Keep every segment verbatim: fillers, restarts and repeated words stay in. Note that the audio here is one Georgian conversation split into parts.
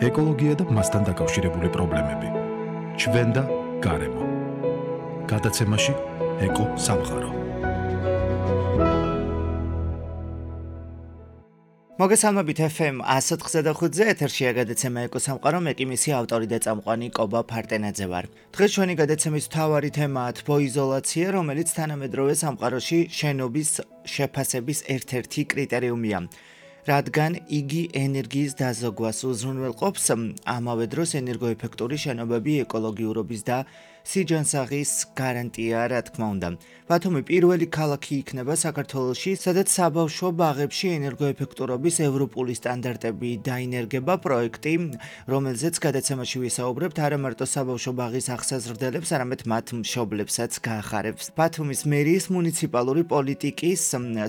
ეკოლოგია და მასთან დაკავშირებული პრობლემები. ჩვენ და გარემო. გადაცემაში ეკო სამყარო. მოგესალმებით ეფ ემ ათას ოთხი და ხუთზე ეთერშია გადაცემა ეკო სამყარო, მე კი მისი ავტორი და წამყვანი კობა ფარტენაძე ვარ. დღეს ჩვენი გადაცემის მთავარი თემაა თბოიზოლაცია, რომელიც თანამედროვე სამყაროში შენობის შეფასების ერთ-ერთი კრიტერიუმია. რადგან იგი ენერგიის დაზოგვას უზრუნველყოფს, ამავე დროს ენერგოეფექტური შენობები ეკოლოგიურობის და სიჯანსაღის გარანტია, რა თქმა უნდა. ბათუმი პირველი ქალაქი იქნება საქართველოში, სადაც საბავშვო ბაღებში ენერგოეფექტურობის ევროპული სტანდარტები დაინერგება. პროექტი, რომელზეც გადაცემაში ვისაუბრებთ, არა მარტო საბავშვო ბაღის აღსაზრდელებს, არამედ მათ მშობლებსაც გაახარებს. ბათუმის მერიის მუნიციპალური პოლიტიკის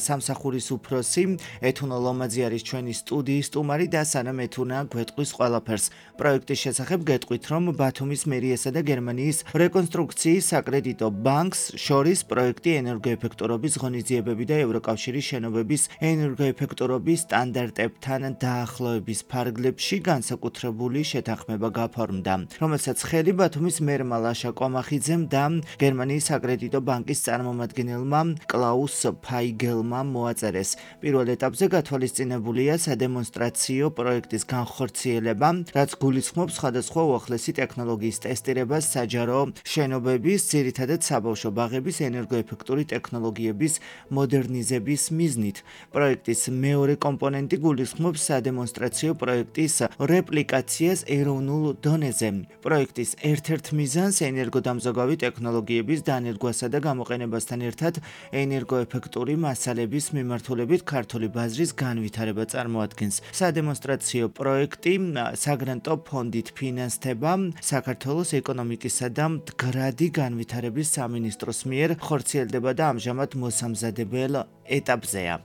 სამსახურის უფროსი ეთუნო ლომაძე არის ჩვენი სტუდიის სტუმარი და სანამ ეთუნა გვეტყვის ყველაფერს. პროექტის შესახებ გეტყვით, რომ ბათუმის მერიასა და გერმანიის რეკონსტრუქციის საკრედიტო ბანკს შორის პროექტი ენერგოეფექტურობის ღონისძიებები და ევროკავშირის შენობების ენერგოეფექტურობის სტანდარტებთან დაახლოების ფარგლებში განსაკუთრებული შეთანხმება გაფორმდა, რომელსაც ხელი ბათუმის მერმა ლაშა კომახიძემ და გერმანიის საკრედიტო ბანკის წარმომადგენელმა კლაუს ფაიგელმა მოაწერეს. პირველ ეტაპზე გათვალისწინებულია სადემონსტრაციო პროექტის განხორციელება, რაც გულისხმობს სხვადასხვა უახლესი ტექნოლოგიის ტესტირებას საჯარო შენობების, ძირითადად საბავშვო ბაღების ენერგოეფექტური ტექნოლოგიების მოდერნიზების მიზნით. პროექტის მეორე კომპონენტი გულისხმობს სადემონსტრაციო პროექტის რეპლიკაციას ეროვნულ დონეზე. პროექტის ერთ-ერთ მიზანს ენერგოდამზოგავი ტექნოლოგიების დანერგვასა და გამოყენებასთან ერთად ენერგოეფექტური მასალების მიმართულებით ქართული ბაზრის განვითარება წარმოადგენს. სადემონსტრაციო პროექტი საგრანტო ფონდით ფინანსდება საქართველოს ეკონომიკისა და მდგრადი განვითარების სამინისტროს მიერ ხორციელდება და ამჟამად მოსამზადებელ ეტაპზეა.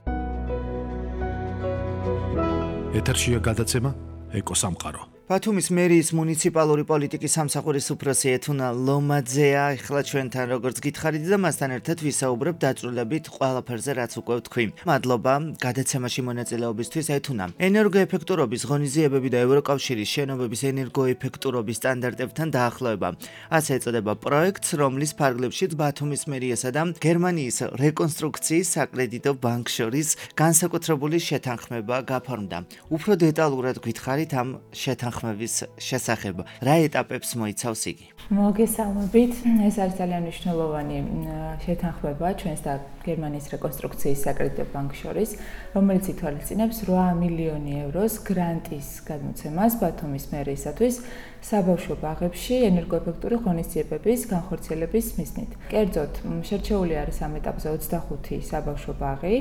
ეთერშია გადაცემა ეკო სამყარო. ბათუმის მერიის მუნიციპალური პოლიტიკის სამსახურის უფროსი ეთუნა ლომაძეა ახლა ჩვენთან, როგორც გითხარით და მასთან ერთად ვისაუბრებ დაწვრილებით ყველაფერზე, რაც უკვე ვთქვი. მადლობა გადაცემაში მონაწილეობისთვის ეთუნა. ენერგოეფექტურობის ღონისძიებები და ევროკავშირის შენობების ენერგოეფექტურობის სტანდარტებთან დაახლოება. ასე ეწოდება პროექტს, რომლის ფარგლებშიც ბათუმის მერიასა და გერმანიის რეკონსტრუქციის საკრედიტო ბანკს შორის განსაკუთრებული შეთანხმება გაფორმდა. უფრო დეტალურად გითხარით ამ შეთანხმებას შესახებ, რა ეტაპებს მოიცავს იგი? მოგესალმებით, ეს არის ძალიან მნიშვნელოვანი შეთანხმება ჩვენს და გერმანიის რეკონსტრუქციის საკრედიტო ბანკს შორის, რომელიც ითვალისწინებს რვა მილიონი ევროს გრანტის გადმოცემას ბათუმის მერიისათვის საბავშვო ბაღებში ენერგოეფექტური ღონისძიებების განხორციელების მიზნით. კერძოდ, შერჩეული არის ამ ეტაპზე ოცდახუთი საბავშვო ბაღი,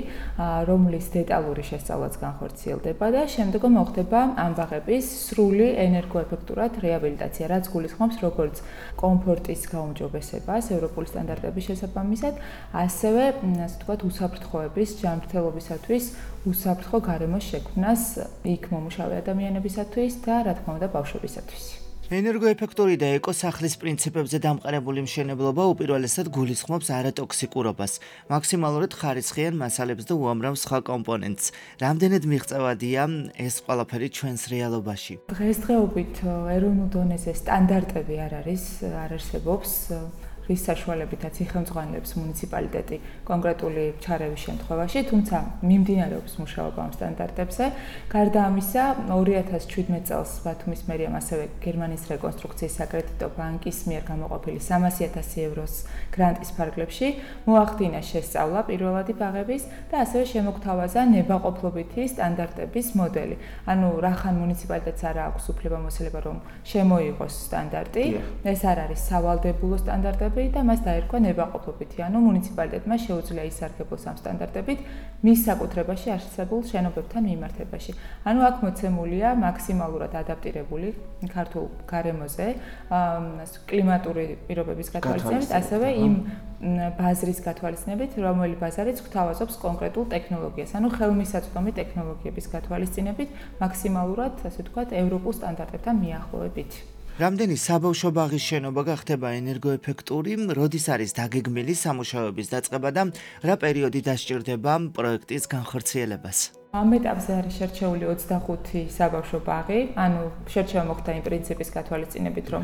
რომლის დეტალური შესწავლაც განხორციელდება და შემდგომ მოხდება ამ ბაღების სრული ენერგოეფექტურად რეაბილიტაცია, რაც გულისხმობს როგორც კომფორტის გაუმჯობესებას ევროპული სტანდარტების შესაბამისად, ასევე, ასე ვთქვათ, უსაფრთხოების ჯანმრთელობისათვის უსაფრთხო გარემოს შექმნას იქ მომუშავე ადამიანებისათვის და, რა თქმა უნდა, ბავშვებისათვის. ენერგოეფექტური და ეკოსახლის პრინციპებზე დამყარებული მშენებლობა უპირველესად გულისხმობს არატოქსიკურობას, მაქსიმალურად ხარისხიან მასალებს და უამრავ სხვა კომპონენტს. რამდენად მიღწევადია ეს ყველაფერი ჩვენს რეალობაში? დღესდღეობით ეროვნულ დონეზე სტანდარტები არ არის, არ არსებობს. რის საშუალებითაც იხელმძღვანელებს მუნიციპალიტეტი კონკრეტული ჩარევის შემთხვევაში, თუმცა მიმდინარეობს მუშაობა ამ სტანდარტებზე. გარდა ამისა, ორი ათას შვიდმეტ წელს ბათუმის მერიამ ასევე გერმანიის რეკონსტრუქციის საკრედიტო ბანკის მიერ გამოყოფილი სამასი ათასი ევროს გრანტის ფარგლებში მოახდინა შესწავლა პირველადი ბაღების და ასევე შემოგთავაზა ნებაყოფლობითი სტანდარტების მოდელი. ანუ რახან მუნიციპალიტეტს არ აქვს უფლებამოსილება, რომ შემოიღოს სტანდარტი, ეს არ არის სავალდებულო სტანდარტები და მას დაერქვა ნებაყოფლობითი, ანუ მუნიციპალიტეტმა შეუძლია ისარგებლოს ამ სტანდარტებით მის საკუთრებაში არსებულ შენობებთან მიმართებაში. ანუ აქ მოცემულია მაქსიმალურად ადაპტირებული ქართულ გარემოზე, კლიმატური პირობების გათვალისწინებით, ასევე იმ ბაზრის გათვალისწინებით, რომელი ბაზარიც გვთავაზობს კონკრეტულ ტექნოლოგიას, ანუ ხელმისაწვდომი ტექნოლოგიების გათვალისწინებით, მაქსიმალურად, ასე ვთქვათ, ევროპულ სტანდარტებთან მიახლოებით. რამდენი საბავშვო ბაღის შენობა გახდება ენერგოეფექტური, როდის არის დაგეგმილი სამუშაოების დაწყება და რა პერიოდი დასჭირდება პროექტის განხორციელებას? ამ ეტაპზე არის შერჩეული ოცდახუთი საბავშვო ბაღი, ანუ შერჩევა მოხდა იმ პრინციპის გათვალისწინებით, რომ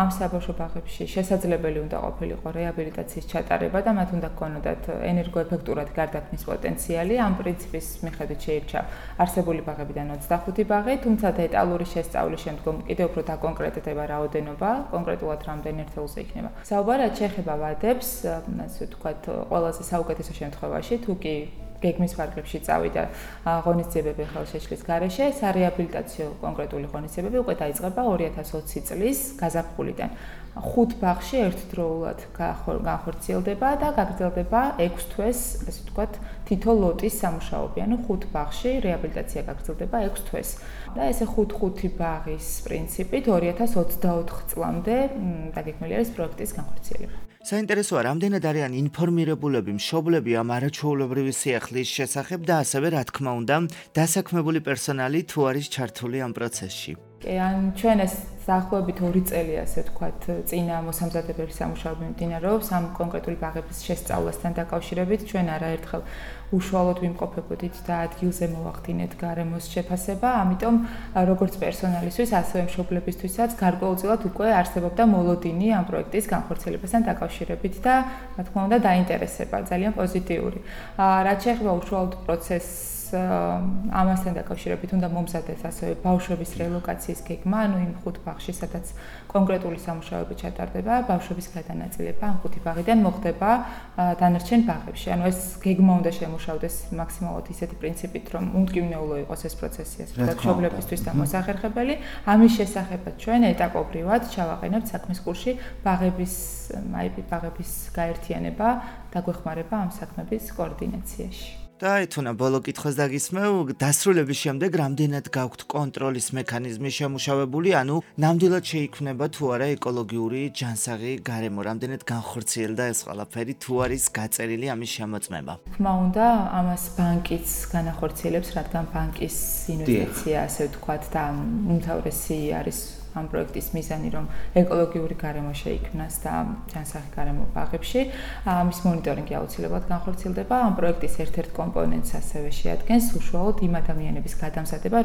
ამ საბავშვო ბაღებში შესაძლებელი უნდა ყოფილიყო რეაბილიტაციის ჩატარება და მათ უნდა ჰქონოდათ ენერგოეფექტურად გარდაქმნის პოტენციალი. ამ პრინციპის მიხედვით შეირჩა არსებული ბაღებიდან ოცდახუთი ბაღი, თუმცა დეტალური შესწავლის შემდგომ კიდევ უფრო დაკონკრეტდება რაოდენობა, კონკრეტულად რამდენი ერთეულზე იქნება. საუბარი რაც შეეხება ვადებს, ასე ვთქვათ, ყველაზე საუკეთესო შემთხვევაში, თუ კი გეგმის ფარგლებში წავიდა ღონისძიებები ხელშეშლის გარეშე, სარეაბილიტაციო კონკრეტული ღონისძიებები უკვე დაიწყება ორი ათას ოცი წლის გაზაფხულიდან. ხუთ ბაღში ერთდროულად განხორციელდება და გაგრძელდება ექვს თვეს, ასე ვთქვათ, თითო ლოტის სამუშაოები, ანუ ხუთ ბაღში რეაბილიტაცია გაგრძელდება ექვს თვეს. და ესე ხუთ ხუთი ბაღის პრინციპით ორი ათას ოცდაოთხ წლამდე დაგეგმილი არის პროექტის განხორციელება. საინტერესოა, რამდენად არიან ინფორმირებულები მშობლები ამ არაჩვეულებრივი სიახლის შესახებ და ასევე, რა თქმა უნდა, დასაქმებული პერსონალი თუ არის ჩართული ამ პროცესში. ან ჩვენ ეს დაახლოებით ორი წელი, ასე ვთქვათ, წინა მოსამზადებელი სამუშაოები მიმდინარეობს ამ კონკრეტული ბაღების შესწავლასთან დაკავშირებით. ჩვენ არაერთხელ უშუალოდ ვიმყოფებოდით და ადგილზე მოვახდინეთ გარემოს შეფასება, ამიტომ როგორც პერსონალისთვის, ასევე მშობლებისთვისაც გარკვეულწილად უკვე არსებობდა მოლოდინი ამ პროექტის განხორციელებასთან დაკავშირებით და, რა თქმა უნდა, დაინტერესება ძალიან პოზიტიური. რაც შეეხება უშუალოდ პროცესს ამასთან დაკავშირებით უნდა მომზადდეს ასევე ბავშვების რელოკაციის გეგმა, ანუ იმ ხუთ ბაღში, სადაც კონკრეტული სამუშაოები ჩატარდება, ბავშვების გადანაწილება ამ ხუთი ბაღიდან მოხდება დანარჩენ ბაღებში. ანუ ეს გეგმა უნდა შემუშავდეს მაქსიმალურად ისეთი პრინციპით, რომ უმტკივნეულო იყოს ეს პროცესი, ასე ვთქვათ, მშობლებისთვის და მოსახერხებელი. ამის შესახებაც ჩვენ ეტაპობრივად ჩავაყენებთ საქმის კურსში ბაღების, აი ბაღების გაერთიანება, დაგვეხმარება ამ საქმების კოორდინაციაში. და ეთუნა ბოლო კითხვას დაგისმევ, დასრულების შემდეგ რამდენად გაქვთ კონტროლის მექანიზმი შემუშავებული, ანუ ნამდვილად შეიქმნება თუ არა ეკოლოგიური ჯანსაღი გარემო, რამდენად განხორციელდა ეს ყველაფერი, თუ არის გაწერილი ამის შემოწმება. თქმა უნდა, ამას ბანკიც განახორციელებს, რადგან ბანკის ინვესტიცია, ასე ვთქვათ, და უმთავრესი არის ამ პროექტის მიზანი, რომ ეკოლოგიური გარემო შეიქმნას და ჯანსაღი გარემო ბაღებში. ამის მონიტორინგი აუცილებლად განხორციელდება. ამ პროექტის ერთ-ერთ კომპონენტს ასევე შეადგენს უშუალოდ იმ ადამიანების გადამზადება,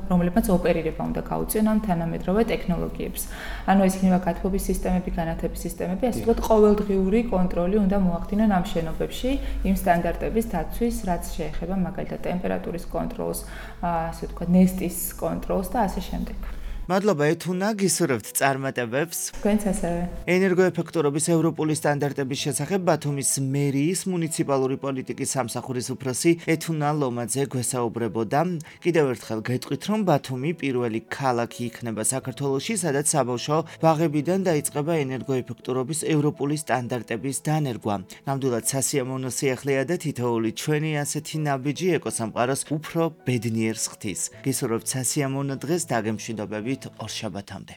რომლებმაც ოპერირება უნდა გაუწიონ ამ თანამედროვე ტექნოლოგიებს. ანუ ეს იქნება გათბობის სისტემები, განათების სისტემები, ასე ვთქვათ, ყოველდღიური კონტროლი უნდა მოახდინონ ამ შენობებში იმ სტანდარტების დაცვის, რაც შეეხება მაგალითად ტემპერატურის კონტროლს, ასე ვთქვათ, ნესტის კონტროლს და ასე შემდეგ. მადლობა ეთუნა, გისურვებთ წარმატებებს. თქვენც ასევე. ენერგოეფექტურობის ევროპული სტანდარტების შესახებ ბათუმის მერიის მუნიციპალური პოლიტიკის სამსახურის უფროსი ეთუნა ლომაძე გვესაუბრებოდა. კიდევ ერთხელ გეტყვით, რომ ბათუმი პირველი ქალაქი იქნება საქართველოში, სადაც საბავშვო ბაღებიდან დაიწყება ენერგოეფექტურობის ევროპული სტანდარტების დანერგვა. ნამდვილად სასიამოვნო სიახლეა და თითოეული ჩვენი ასეთი ნაბიჯი ეკოსამყაროს უფრო ბედნიერს ხდის. გისურვებთ სასიამოვნო დღეს, დაგემშვიდობებით ორშაბათამდე.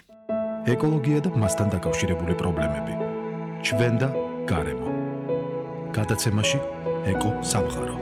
ეკოლოგია და მასთან დაკავშირებული პრობლემები. ჩვენ და გარემო. გადაცემაში ეკო სამყარო.